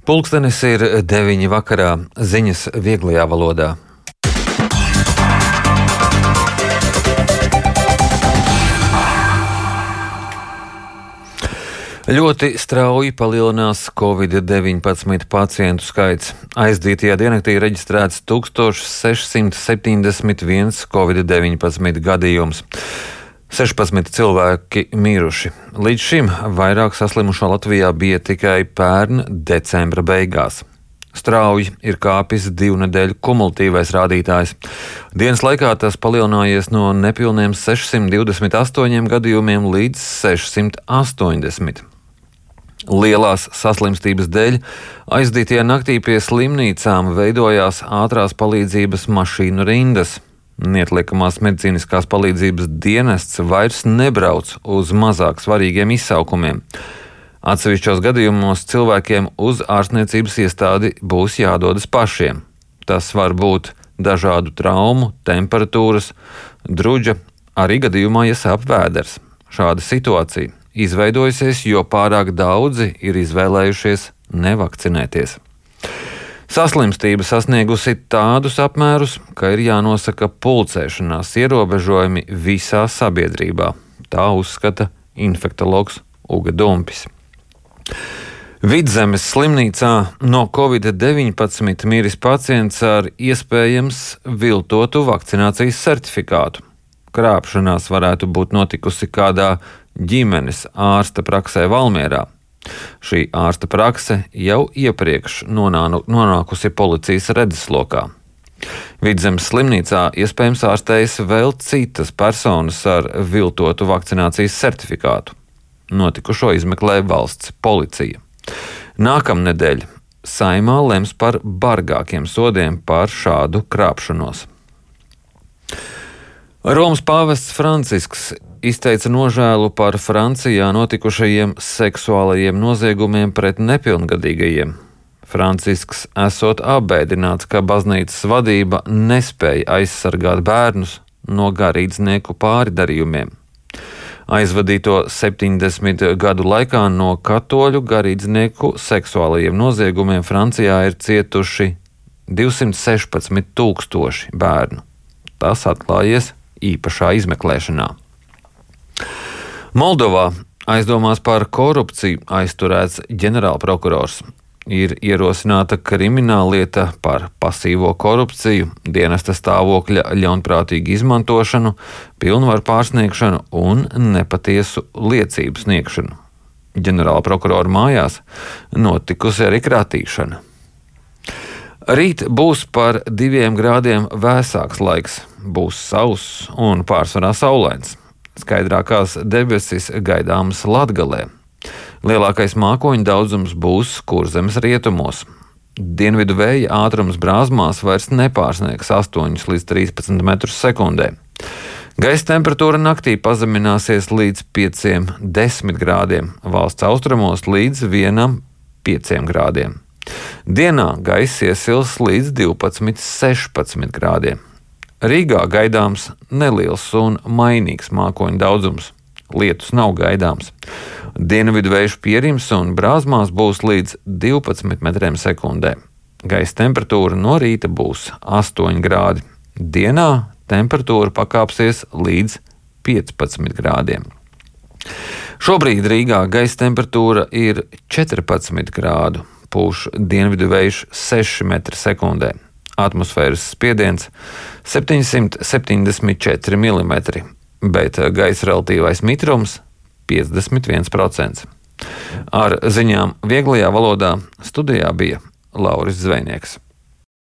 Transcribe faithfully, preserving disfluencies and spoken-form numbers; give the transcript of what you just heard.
Pulkstenis ir deviņi vakarā, ziņas vieglajā valodā. Ļoti strauji palielinās covid deviņpadsmit pacientu skaits. Aizdītajā diennaktī reģistrēts tūkstoš sešsimt septiņdesmit viens covid deviņpadsmit gadījums. sešpadsmit cilvēki miruši. Līdz šim vairāk saslimušo Latvijā bija tikai pērn decembra beigās. Strauji ir kāpis divu nedēļu kumulatīvais rādītājs. Dienas laikā tas palielinājies no nepilniem sešsimt divdesmit astoņiem gadījumiem līdz sešsimt astoņdesmit. Lielās saslimstības dēļ aizdītajā naktī pie slimnīcām veidojās ātrās palīdzības mašīnu rindas. Neatliekamās medicīniskās palīdzības dienests vairs nebrauc uz mazāk svarīgiem izsaukumiem. Atsevišķos gadījumos cilvēkiem uz ārstniecības iestādi būs jādodas pašiem. Tas var būt dažādu traumu, temperatūras, druģa, arī gadījumā, ja sāp vēders. Šāda situācija izveidojusies, jo pārāk daudzi ir izvēlējušies nevakcinēties. Saslimstība sasniegusi tādus apmērus, ka ir jānosaka pulcēšanās ierobežojumi visā sabiedrībā. Tā uzskata infektologs Uga Dumpis. Vidzemes slimnīcā no covid deviņpadsmit miris pacients ar iespējams viltotu vakcinācijas certifikātu. Krāpšanās varētu būt notikusi kādā ģimenes ārsta praksē Valmierā. Šī ārsta prakse jau iepriekš nonānu, nonākusi policijas redzeslokā. Vidzemes slimnīcā iespējams ārstējas vēl citas personas ar viltotu vakcinācijas certifikātu. Notikušo izmeklē valsts policija. Nākamnedēļ Saeimā lems par bargākiem sodiem par šādu krāpšanos. Romas pāvests Francisks izteica nožēlu par Francijā notikušajiem seksuālajiem noziegumiem pret nepilngadīgajiem. Francisks esot apbēdināts, ka baznīcas vadība nespēja aizsargāt bērnus no garīdznieku pārdarījumiem. Aizvadīto septiņdesmit gadu laikā no katoļu garīdznieku seksuālajiem noziegumiem Francijā ir cietuši divsimt sešpadsmit tūkstoši bērnu. Tas atklājies īpašā izmeklēšanā. Moldovā aizdomās par korupciju aizturēts ģenerālprokurors. Ir ierosināta krimināllieta par pasīvo korupciju, dienesta stāvokļa ļaunprātīgu izmantošanu, pilnvaru pārsniegšanu un nepatiesu liecību sniegšanu. Ģenerālprokurora mājās notikusi arī kratīšana. Rīt būs par diviem grādiem vēsāks laiks, būs sauss un pārsvarā saulains. Skaidrākās debesis gaidāmas Latgalē. Lielākais mākoņu daudzums būs Kurzemes rietumos. Dienvidu vēja ātrums Brāzmās vairs nepārsniegs astoņus līdz trīspadsmit metrus sekundē. Gaisa temperatūra naktī pazemināsies līdz pieciem desmit grādiem, valsts austrumos līdz vienam pieciem grādiem. Dienā gaisa iesils līdz divpadsmit sešpadsmit grādiem. Rīgā gaidāms neliels un mainīgs mākoņu daudzums. Lietus nav gaidāms. Dienvidu vējš pierims un Brāzmās būs līdz divpadsmit metriem sekundē. Gaisa temperatūra no rīta būs astoņi grādi. Dienā temperatūra pakāpsies līdz piecpadsmit grādiem. Šobrīd Rīgā gaisa temperatūra ir četrpadsmit grādu, pūš dienvidu vējš seši metri sekundē. Atmosfēras spiediens septiņsimt septiņdesmit četri milimetri, bet gaisa relatīvais mitrums piecdesmit viens procents. Ar ziņām vieglajā valodā studijā bija Lauris Zvejnieks.